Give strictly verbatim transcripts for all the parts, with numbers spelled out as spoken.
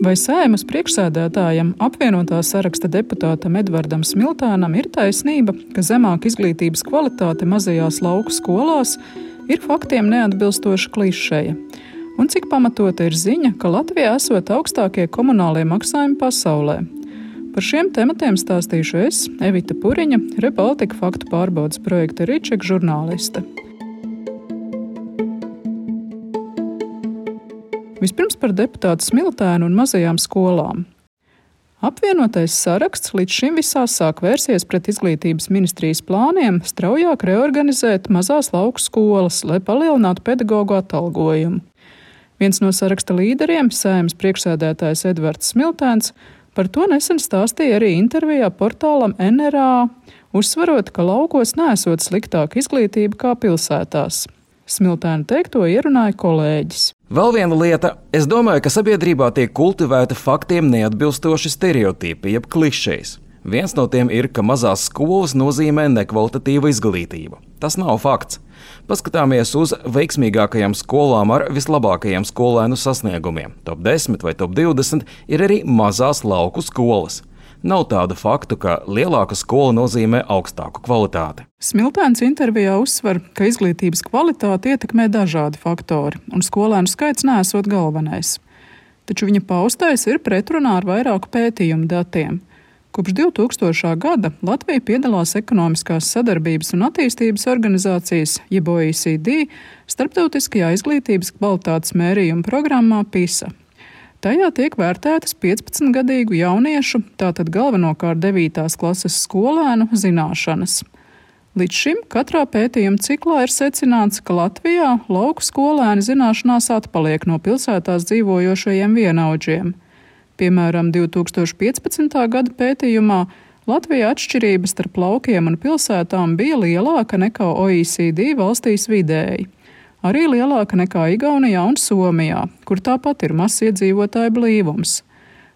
Vai Saeimas priekšsēdētājam, apvienotā saraksta deputātam Edvardam Smiltēnam ir taisnība, ka zemāka izglītības kvalitāte mazajās lauku skolās ir faktiem neatbilstoša klišeja? Un cik pamatota ir ziņa, ka Latvijā esot augstākie komunālie maksājumi pasaulē? Par šiem tematiem stāstīšu es, Evita Puriņa, Rebaltika faktu pārbaudes projekta Ričeka žurnāliste. Vispirms par deputātu Smiltēnu un mazajām skolām. Apvienotais saraksts līdz šim visāsāk vērsies pret izglītības ministrijas plāniem straujāk reorganizēt mazās lauku skolas, lai palielinātu pedagogu atalgojumu. Viens no saraksta līderiem, Saeimas priekšsēdētājs Edvards Smiltēns, par to nesen stāstīja arī intervijā portālam N R A, uzsvarot, ka laukos neesot sliktāka izglītība kā pilsētās. Smiltēna teikto ierunāja kolēģis. Vēl viena lieta. Es domāju, ka sabiedrībā tiek kultivēta faktiem neatbilstoši stereotipi, jeb klišejas. Viens no tiem ir, ka mazās skolas nozīmē nekvalitatīvu izglītību. Tas nav fakts. Paskatāmies uz veiksmīgākajām skolām ar vislabākajiem skolēnu sasniegumiem. Top desmit vai top divdesmit ir arī mazās lauku skolas. Nav tādu faktu, ka lielāka skola nozīmē augstāku kvalitāti. Smiltēns intervijā uzsver, ka izglītības kvalitāti ietekmē dažādi faktori, un skolēnu skaits neesot galvenais. Taču viņa paustais ir pretrunā ar vairāku pētījumu datiem. Kopš divtūkstošā gada Latvija piedalās ekonomiskās sadarbības un attīstības organizācijas, jeb O E C D, starptautiskajā izglītības kvalitātes mērījuma programmā PISA. Tajā tiek vērtētas piecpadsmitgadīgu jauniešu, tātad galvenokārt devītās klases skolēnu, zināšanas. Līdz šim katrā pētījuma ciklā ir secināts, ka Latvijā lauku skolēni zināšanās atpaliek no pilsētās dzīvojošajiem vienaudžiem. Piemēram, divtūkstoš piecpadsmitā gada pētījumā Latvijā atšķirības starp laukiem un pilsētām bija lielāka nekā O E C D valstīs vidēji. Arī lielāka nekā Igaunijā un Somijā, kur tāpat ir mazs iedzīvotāju blīvums.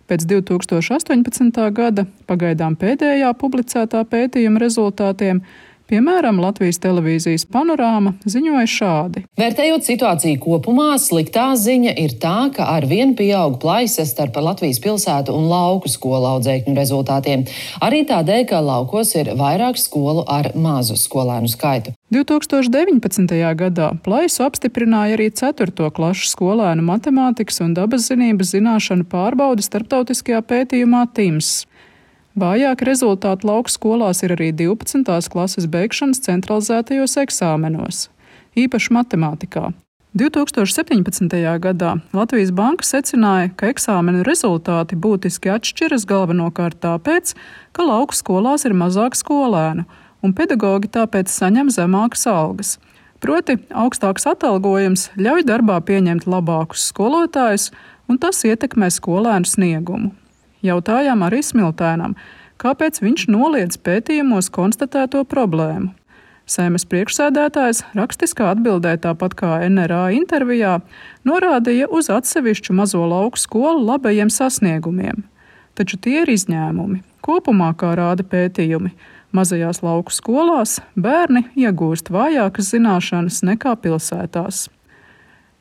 Pēc divtūkstoš astoņpadsmitā gada, pagaidām pēdējā publicētā pētījuma rezultātiem, piemēram, Latvijas televīzijas Panorāma ziņoja šādi. Vērtējot situāciju kopumā, sliktā ziņa ir tā, ka ar vien pieaug plaisa starp Latvijas pilsētu un lauku skolu audzēkņu rezultātiem. Arī tādēļ, ka laukos ir vairāk skolu ar mazu skolēnu skaitu. divtūkstoš deviņpadsmitajā gadā plaisu apstiprināja arī ceturto klašu skolēnu matemātikas un dabaszinības zināšanu pārbaude starptautiskajā pētījumā T I M S. Vājāk rezultāti lauku skolās ir arī divpadsmitās klases beigšanas centralizētajos eksāmenos, īpaši matemātikā. divtūkstoš septiņpadsmitajā gadā Latvijas Banka secināja, ka eksāmenu rezultāti būtiski atšķiras galvenokārt tāpēc, ka lauku skolās ir mazāk skolēnu, un pedagogi tāpēc saņem zemākas algas. Proti, augstāks atalgojums ļauj darbā pieņemt labākus skolotājus, un tas ietekmē skolēnu sniegumu. Jautājām arī Smiltēnam, kāpēc viņš noliedz pētījumos konstatēto problēmu. Saeimas priekšsēdētājs rakstiskā atbildē, tāpat kā N R A intervijā, norādīja uz atsevišķu mazo lauku skolu labajiem sasniegumiem. Taču tie ir izņēmumi. Kopumā, kā rāda pētījumi, mazajās lauku skolās bērni iegūst vājākas zināšanas nekā pilsētās.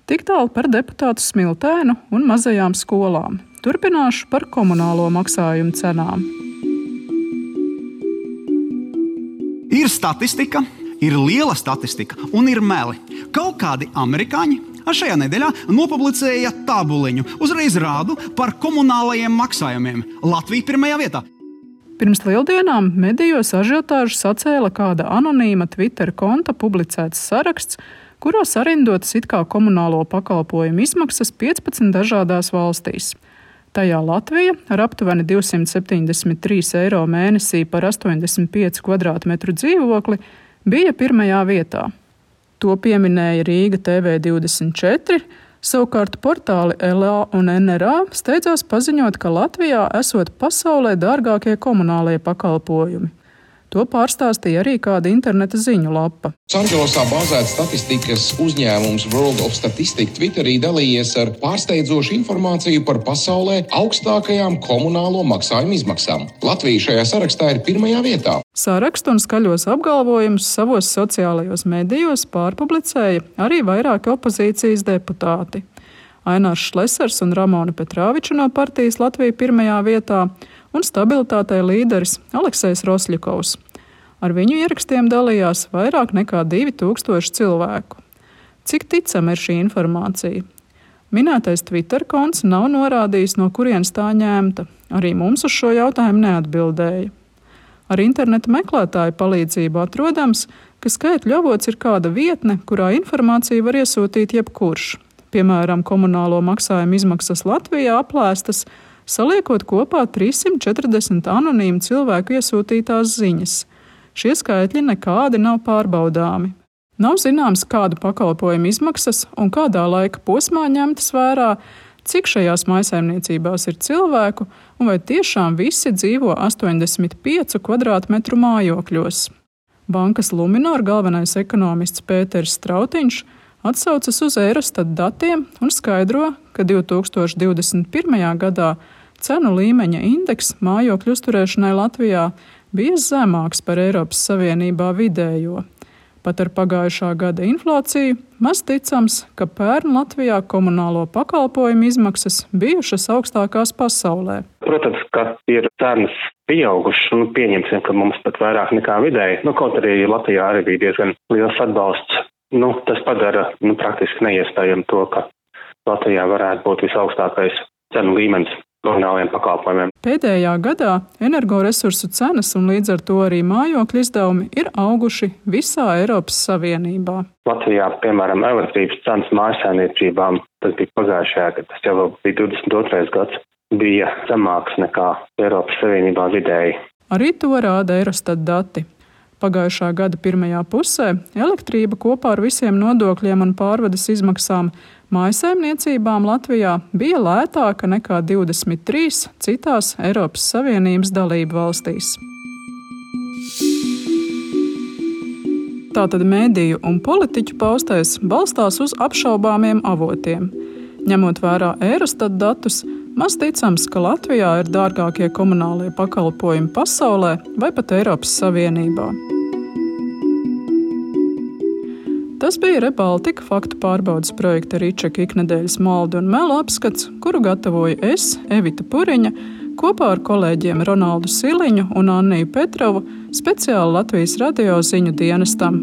Tik tālu par deputātu Smiltēnu un mazajām skolām. Turpināšu par komunālo maksājumu cenām. Ir statistika, ir liela statistika un ir meli. Kaut kādi amerikāņi šajā nedēļā nopublicēja tabuliņu. Uzreiz rādu par komunālajiem maksājumiem. Latvija pirmajā vietā. Pirms lieldienām medijos ažiotāžu sacēla kāda anonīma Twitter konta publicēts saraksts, kurā sarindotas it kā komunālo pakalpojumu izmaksas piecpadsmit dažādās valstīs. Tajā Latvija ar aptuveni divsimt septiņdesmit trīs eiro mēnesī par astoņdesmit pieci kvadrātmetru dzīvokli bija pirmajā vietā. To pieminēja Rīga T V divdesmit četri, savukārt portāli L A un N R A steidzās paziņot, ka Latvijā esot pasaulē dārgākie komunālie pakalpojumi. To pārstāstīja arī kāda interneta ziņu lapa. Losandželosā bāzēts statistikas uzņēmums World of Statistics Twitterī dalījies ar pārsteidzošu informāciju par pasaulē augstākajām komunālo maksājumu izmaksām. Latvija šajā sarakstā ir pirmajā vietā. Sarakstu un skaļos apgalvojumus savos sociālajos medijos pārpublicēja arī vairāki opozīcijas deputāti. Ainārs Šlesers un Ramona Petrāviča no partijas Latvija pirmajā vietā un stabilitātei līderis Aleksejs Rosļakovs. Ar viņu ierakstiem dalījās vairāk nekā divi tūkstoši cilvēku. Cik ticama ir šī informācija? Minētais Twitter konts nav norādījis, no kurienes tā ņemta. Arī mums uz šo jautājumu neatbildēja. Ar interneta meklētāju palīdzību atrodams, ka skaitļu avots ir kāda vietne, kurā informāciju var iesūtīt jebkurš. Piemēram, komunālo maksājumu izmaksas Latvijā aplēstas, saliekot kopā trīssimt četrdesmit anonīmu cilvēku iesūtītās ziņas. Šie skaitļi nekādi nav pārbaudāmi. Nav zināms, kādu pakalpojumu izmaksas un kādā laika posmā ņemtas vērā, cik šajās mājsaimniecībās ir cilvēku un vai tiešām visi dzīvo astoņdesmit piecu kvadrātmetru mājokļos. Bankas Luminor galvenais ekonomists Pēters Strautiņš atsaucas uz Eurostat datiem un skaidro, ka divi tūkstoši divdesmit pirmajā gadā cenu līmeņa indeks mājokļu uzturēšanai Latvijā bija zemāks par Eiropas Savienībā vidējo. Pat ar pagājušā gada inflāciju maz ticams, ka pērn Latvijā komunālo pakalpojumu izmaksas bijušas augstākās pasaulē. Protams, ka ir cenas pieaugušas un pieņemsim, ka mums pat vairāk nekā vidēji. Nu, kaut arī Latvijā arī bija diezgan liels atbalsts. Nu, tas padara nu, praktiski neiespējami to, ka Latvijā varētu būt visaugstākais cenu līmenis komunālajiem pakalpojumiem. Pēdējā gadā energoresursu cenas un līdz ar to arī mājokļu izdevumi ir auguši visā Eiropas Savienībā. Latvijā, piemēram, elektrības cenas mājsaimniecībām, tas bija pagājušajā gadā, tas jau bija divdesmit otrais gads, bija zemāks nekā Eiropas Savienībā vidēji. Arī to rāda Eurostat dati. Pagājušā gada pirmajā pusē elektrība kopā ar visiem nodokļiem un pārvades izmaksām mājsaimniecībām Latvijā bija lētāka nekā divdesmit trīs citās Eiropas Savienības dalību valstīs. Tātad mediju un politiķu paustais balstās uz apšaubāmiem avotiem. Ņemot vērā Eurostat datus, maz ticams, ka Latvijā ir dārgākie komunālie pakalpojumi pasaulē vai pat Eiropas Savienībā. Tas bija Rebaltika faktu pārbaudes projekta Ričeka iknedēļas maldu un melu apskats, kuru gatavoju es, Evita Puriņa, kopā ar kolēģiem Ronaldu Siliņu un Anniju Petrovu speciāli Latvijas radio ziņu dienestam.